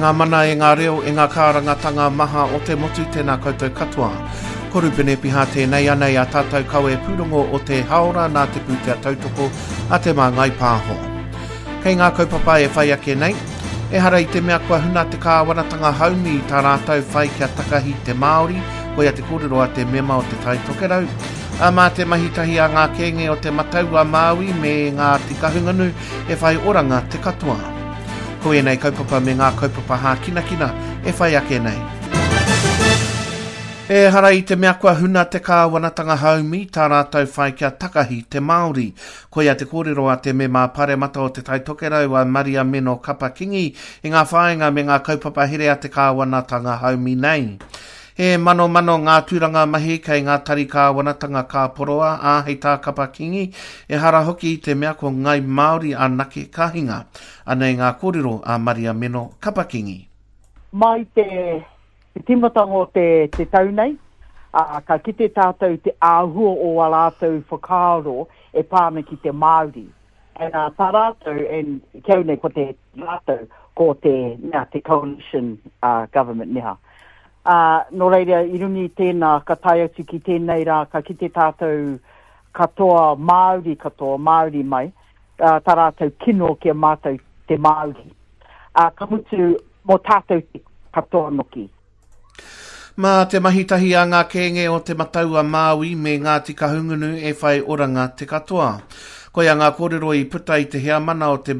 ngā mana, e ngā reo, e ngā kārangatanga maha o te motu, tēnā koutou katoa. Ko Rupene Piha tēnei anei a tātou kawe pūrongo o te haora nā te pūtea tautoko a Te Māngai Pāho. Kei ngā kaupapa e whai ake nei, ehara i te mea kua huna te kāwanatanga haumi i tā rātou whai kia takahi te Māori, koia te kōrero a te mema o Te Tai Tokerau, ā, mā te mahi tahi a ngā kēnge o Te Matau a Māui me Ngāti Kahungunu e whai oranga te katoa. Ko ēnei kaupapa me ngā kaupapa hākinakina e whai ake nei. Ehara i te mea kua huna te kāwanatanga haumi tā rātou whai kia takahi te Māori. Koia te kōrero a te Mema Paremata o Te Tai Tokerau a Maria Meno Kapa Kingi i ngā whāinga me ngā kaupapa here a te kāwanatanga haumi nei. He manomano ngā tūranga mahi kei ngā tari kāwanatanga ka poroa, ā, hei tā Kapa Kingi, ehara hoki i te mea ko Ngai Māori anake ka hinga. Anei ngā kōrero a Maria Meno Kapa Kingi. Mai te tīmatanga o te tau nei, ā, ka kite tātou te āhua o ā rātou whakaaro e pā ana ki te Māori. And ā, tā rātou, and ki au nei ko te rātou, ko te, mea, te coalition uh, government neha. Ā, nō reira, i runga i tēnā, ka tae atu ki tēnei rā, ka kite tātou katoa, Māori katoa, Māori mai, ā, tā rātou kino ki a mātou te Māori. Ā, ka mutu, mō tātou te katoa noki. Mā te mahi tahi a ngā kēnge o Te Matau-a-Māui me Ngāti Kahungunu e whai oranga te katoa. Koia ngā kōrero i puta i te heamana o te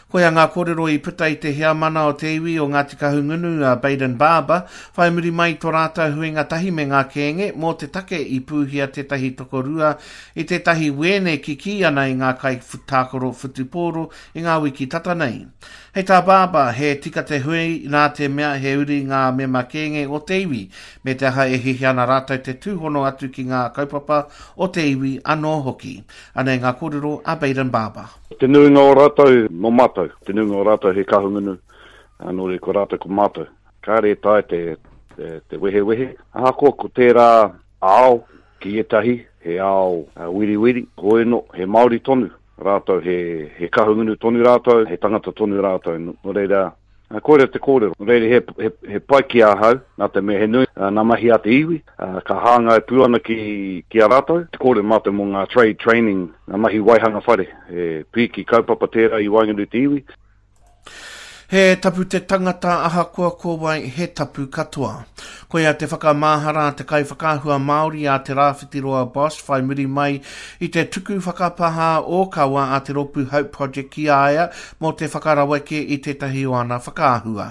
Koia ngā kōrero i puta i te heamana o te iwi o Ngāti Kahungunu a Bayden Barber, whai muri mai i tō rātou huinga tahi me ngā kēnge mō te take i pūhia tētahi tokorua i tētahi wēne kikī ana i ngā kaitākaro whutupōro i ngā wiki tata nei. Hei tā Barber, he tika te hui nā te mea he uri ngā mema kēnge o te iwi, me te aha e hiahia ana rātou te tūhono atu ki ngā kaupapa o te iwi anō hoki. Anei ngā kōrero a Bayden Barber. Te nuinga o rātou nō mātou, te nuinga o rātou he Kahungunu, nō reira ko rātou ko mātou. Kāre e taea te, te, te wehewehe. Ahakoa ko tērā ao ki ētahi, he ao wiriwiri, hoeno, he Māori tonu. Rātou, he, he Kahungunu tonu rātou, he tangata tonu rātou, nō reira, koira te kōrero. Nō reira, he, he, he pai ki ahau, nā te mea he nui nā mahi a te iwi, ka hāngai pū ana ki, ki a rātou. Te kōrero mātou mō ngā trade training, ngā mahi waihanga whare, he pīki kaupapa tērā i waenganui te iwi. He tapu te tangata ahakoa ko wai, he tapu katoa. Koia te whakamahara a te kaiwhakaahua Māori a Te Rāwhitiroa Bosch whai muri mai i te tuku whakapāha ōkawa a te rōpū Hope Project ki a ia mō te whakaraweke i tētahi o ana whakaahua.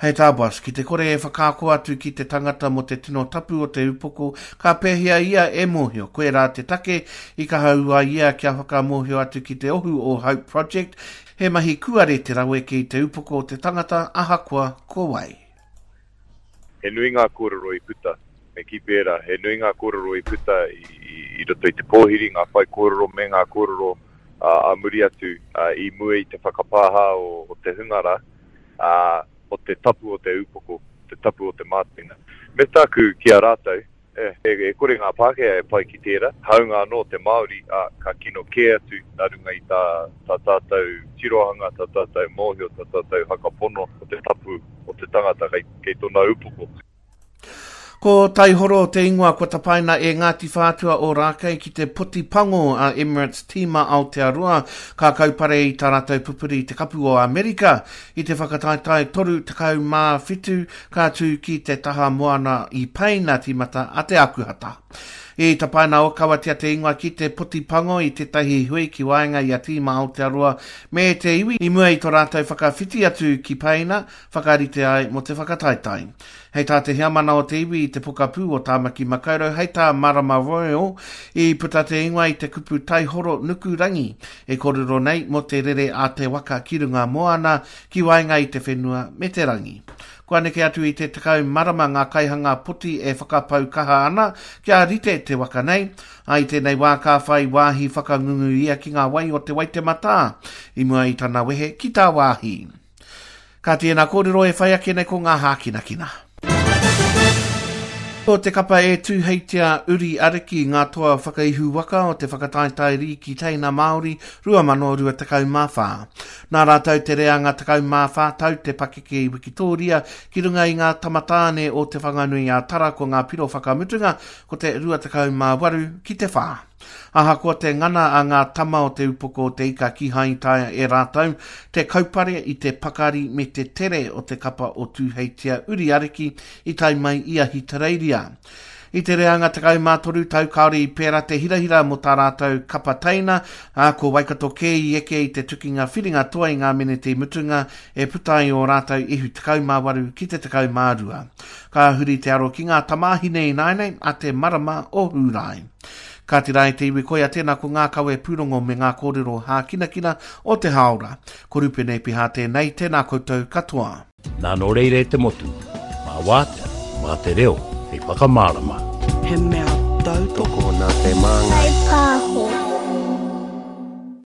Hei tā Bosch, ki te kore e whakaako atu ki te tangata mō te tino tapu o te upoko, ka pēhea ia e mōhio? Koirā te take i kaha ū ai ia kia whakamōhio atu ki te ohu o Hope Project He mahi kuare te raweke i te upoko o te tangata ahakoa ko wai. He nui ngā kōrero i puta, me kī pērā, he nui ngā kōrero i puta i roto i te pōhiri, ngā whaikōrero me ngā kōrero ā muri atu i mua i te whakapāha o te hunga rā, ā, o te tapu o te upoko, te tapu o te mātenga. Me tāku ki a rātou, E kore ngā Pākehā e pai ki tērā, hāunga anō te Māori, ā, ka kino kē atu nā runga i tā, tā tātou tirohanga, tā tātou mōhio, tā tātou whakapono o te tapu o te tangata kei, kei tōna upoko. Ko Taihoro te ingoa kua tapaina e Ngāti Whātua Ōrākei ki te poti pango a Emirates Tīma Aotearoa ka kaupare i tā rātou pupuri i te Kapu o Amerika i te whakataetae 37 Ka tū ki te taha moana i Paina tīmata a Te Akuhata. I tapaina ōkawatia te ingoa ki te poti pango i tētahi hui ki waenga i a Tīma Aotearoa me te iwi i mua i tō rātou whakawhiti atu ki Paina whakarite ai mō te whakataetae. Hei tā te heamana o te iwi i te pokapū o Tāmaki Makaurau, hei tā Marama Royal, i puta te ingoa i te kupu taihoro nuku rangi e kōrero nei mō te rere a te waka ki runga moana ki waenga i te whenua me te rangi. Kua neke atu i te 10 marama ngā kaihanga poti e whakapau kaha ana kia rite te waka nei, ā, i tēnei wā ka whai wāhi whakangungu ia ki ngā wai o Te Waitematā i mua i tana wehe ki tāwāhi. Ka tēnā kōrero e whai ake nei ko ngā hākinakina. Ko te kapa e Tūheitia Uri Ariki ngā toa whakaihu waka o te whakataetae rīki teina Māori 2024. Nā rātou te reanga 14 tau te pakeke i Wikitōria ki runga i ngā tamatāne o Te Whanganui-a-Tara ko ngā piro whakamutunga ko te 28 ki te 4. Ahakoa te ngana a ngā tama o Te Upoko o Te Ika kīhai i taea e rātou te kaupare i te pakari me te tere o te kapa o Tūheitia Uri Ariki i tae mai i Ahitereiria. I te reanga 13 tau kāore i pērā te hirahira mō tā rātou kapa teina, ā, ko Waikato kē i eke i te tukinga whiringa toa i ngā meneti mutunga e puta ai ō rātou ihu 18 ki te 12. Ka huri te aro ki ngā tamāhine ināianei a te marama o Hūrae. Kāti rā e te iwi koia tēnā ko ngā kawe pūrongo me ngā kōrero hākinakina o te hāora. Ko Rupene Piha tēnei, tēnā koutou katoa. Nā nō reira e te motu, mā wātea, mā te reo hei whakamārama. He mea tautoko. Tokona te māngai. Whai pāho.